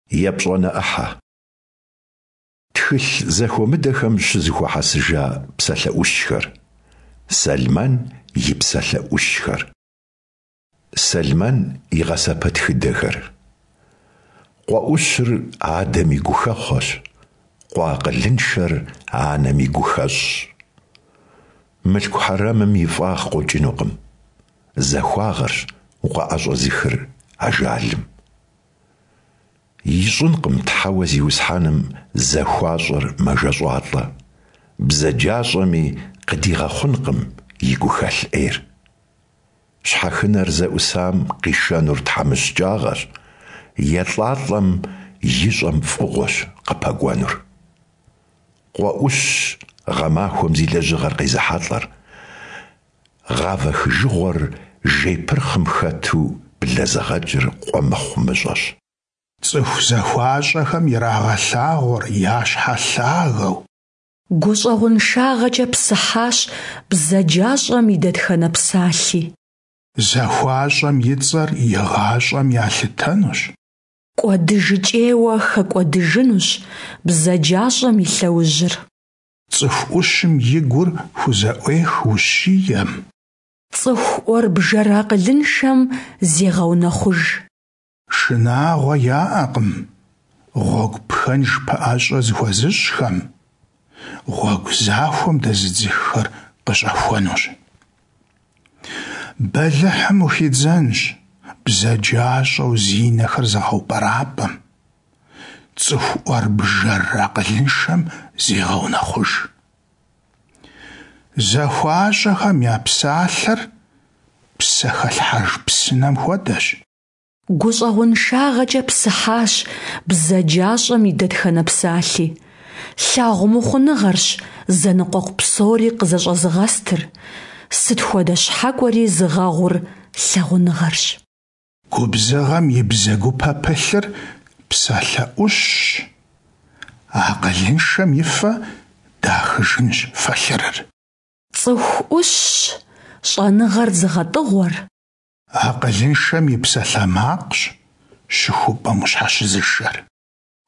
Епщӏанэ ӏыхьэ. Тхылъ зэхуэмыдэхэм щызэхуэхьэсыжа псалъэ ӏущхэр. Сэлмэн и псалъэ ӏущхэр. Сэлмэн и гъэсэпэтхыдэхэр. Къуэ ӏущыр адэм и гухэхъуэщ, къуэ акъылыншэр анэм и гухэщӏщ. Мылъку хьэрэмым и фӏагъ къокӏынукъым, захуагъэрщ укъыӏэщӏэзыхыр ажалым. Ищӏынкъым Тхьэуэ Зиусхьэным захуащӏэр мэжэщӏалӏэ, бзаджащӏэми къыдигъэхъункъым и гухэлъ ӏейр. Щхьэхынэр зэӏусам къишэнур тхьэмыщкӏагъэщ, елӏалӏэм ищӏэм фӏыгъуэщ къыпэкӏуэнур. Къуэ ӏущщ гъэмахуэм зи лэжьыгъэр къезыхьэлӏэр, гъавэ хыжыгъуэр жейпырхъым хэту блэзыгъэкӏыр къуэ мыхъумыщӏэщ. Цӏыху захуащӏэхэм ирагъэлъагъур я щхьэ лъагэу. Гущӏэгъуншагъэкӏэ псыхьащ бзаджащӏэм и дэтхэнэ псалъи. Захуащӏэм и цӏэр игъащӏэм ялъытэнущ. Кӏуэдыжыкӏейуэ хэкӏуэдыжынущ бзаджащӏэм и лъэужьыр. Цӏыху ӏущым и гур хузэӏуех ущием. Цӏыху ӏуэрбжэр акъылыншэм зегъэунэхъуж. Шынагъуэ яӏэкъым гъуэгу пхэнж пэӏэщӏэ зыхуэзыщӏхэм, гъуэгу захуэм дэзыдзыххэр къыщӏэхуэнущ. Бэлыхьым ухидзэнщ бзаджащӏэу зи нэхэр зыгъэупӏэрапӏэм, цӏыху ӏуэрбжэр акъылыншэм зегъэунэхъуж. Захуащӏэхэм я псалъэр псэхэлъхьэж псынэм хуэдэщ. Гущӏэгъуншагъэкӏэ псыхьащ бзаджащӏэм и дэтхэнэ псалъи. Лъагъумыхъуныгъэрщ зэныкъуэкъу псори къызэщӏэзыгъэстыр, сыт хуэдэ щхьэкӏуэри зыгъэгъур лъагъуныгъэрщ. Губзыгъэм и бзэгупэ пылъыр псалъэ ӏущщ, акъылыншэм и фэ дахыжынщ фэлъырыр. Цӏыху ӏущщ щӏэныгъэр зыгъэтӏыгъуэр. Акъылыншэм и псалъэмакъщ щыхупӏэм ущхьэщызышэр.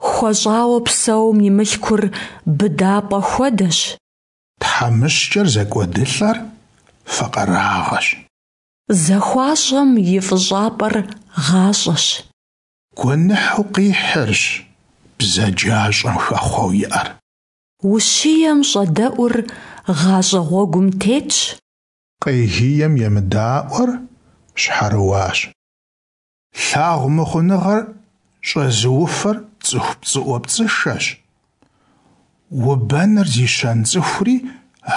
Хуэщӏауэ псэум и мылъкур быдапӏэ хуэдэщ. Тхьэмыщкӏэр зэкӏуэдылӏэр факъырагъэщ. Захуащӏэм и фӏыщӏапӏэр гъащӏэщ. Гуэныхьу къихьырщ бзаджащӏэм хэхъуэу иӏэр. Ущием щӏэдэӏур гъащӏэ гъуэгум тетщ. Къегием емыдаӏуэр щхьэрыуащ. Лъагъумыхъуныгъэр щӏэзыуфэр цӏыху пцӏыӏуэпцӏышэщ, убэныр зи щэн цӏыхури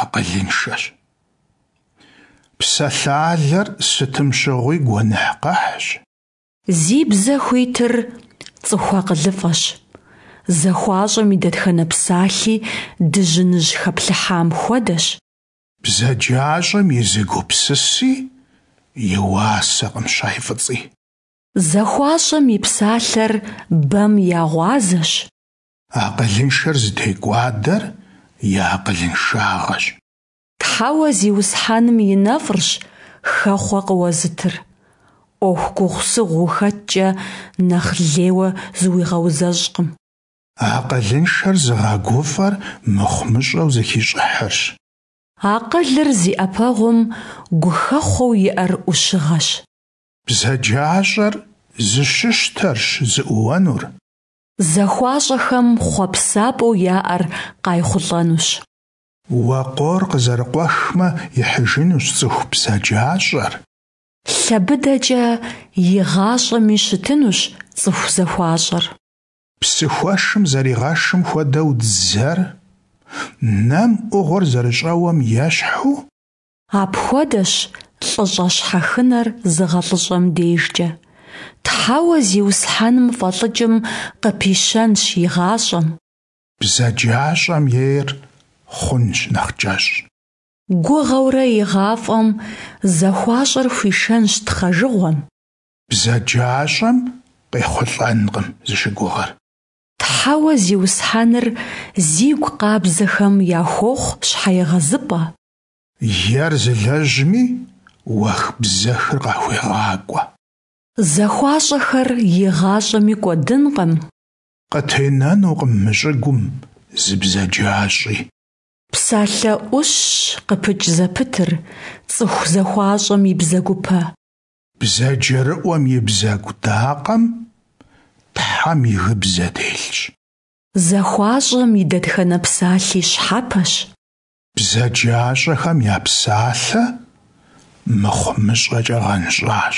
акъылыншэщ. Псалъалэр сытым щыгъуи гуэныхькъэхьщ. Зи бзэ хуитыр цӏыху акъылыфӏэщ. Захуащӏэм и дэтхэнэ псалъи дыжьыныжь хэплъыхьам хуэдэщ. Бзаджащӏэм и зы гупсыси и уасэкъым щай фӏыцӏи. Захуащӏэм и псалъэр бэм я гъуазэщ. Акъылыншэр зытекӏуадэр и акъылыншагъэщ. Тхьэуэ Зиусхьэным и нэфӏырщ хэхъуэ къыуэзытыр. ӏуэху гугъусыгъу ухэткӏэ нэхъ лейуэ зыуигъэузэщӏкъым. Акъылыншэр зыгъэгуфӏэр мыхъумыщӏэу зэхищӏыхьырщ. Акъылыр зи ӏэпэгъум гухэхъуэу иӏэр ӏущыгъэщ. Бзаджащӏэр зыщыщтэрщ зыӏууэнур. Захуащӏэхэм хъуэпсапӏэу яӏэр къайхъулӏэнущ. Уэкъуор къызэрыкъуэхмэ, ихьыжынущ цӏыху бзаджащӏэр. Лъэ быдэкӏэ игъащӏэми щытынущ цӏыху захуащӏэр. Псыхуэшым зэригъэшым хуэдэу дзэр, нэм ӏугъуэр зэрыщӏэуэм ещхьу. Апхуэдэщ лӏыщӏэ щхьэхынэр зыгъэлӏыщӏэм дежкӏэ. Тхьэуэ Зиусхьэным фӏэлӏыкӏым къыпищэнщ и гъащӏэм. Бзаджащӏэм ейр хъунщ нэхъ кӏэщӏ. Гугъэурэ игъафӏэм захуащӏэр хуишэнщ тхъэжыгъуэм. Бзаджащӏэм къехъулӏэнкъым зыщыгугъыр. Тхьэуэ Зиусхьэныр зигу къабзэхэм яхуохъу щхьэегъэзыпӏэ. Ер зылэжьми уэх-бзэхыр къахуегъакӏуэ. Захуащӏэхэр игъащӏэми кӏуэдынкъым. Къытенэнукъым мы щӀыгум зы бзаджащӀи. Псалъэ Ӏущщ къыпыкӀ зэпытыр цӀыху захуащӀэм и бзэгупэ. БзаджэрыӀуэм и бзэгу дакъэм Тхьэм и гыбзэ телъщ. ЗахуащӀэм и дэтхэнэ псалъи щхьэпэщ. БзаджащӀэхэм я псалъэ мыхъумыщӀэкӀэ гъэнщӀащ.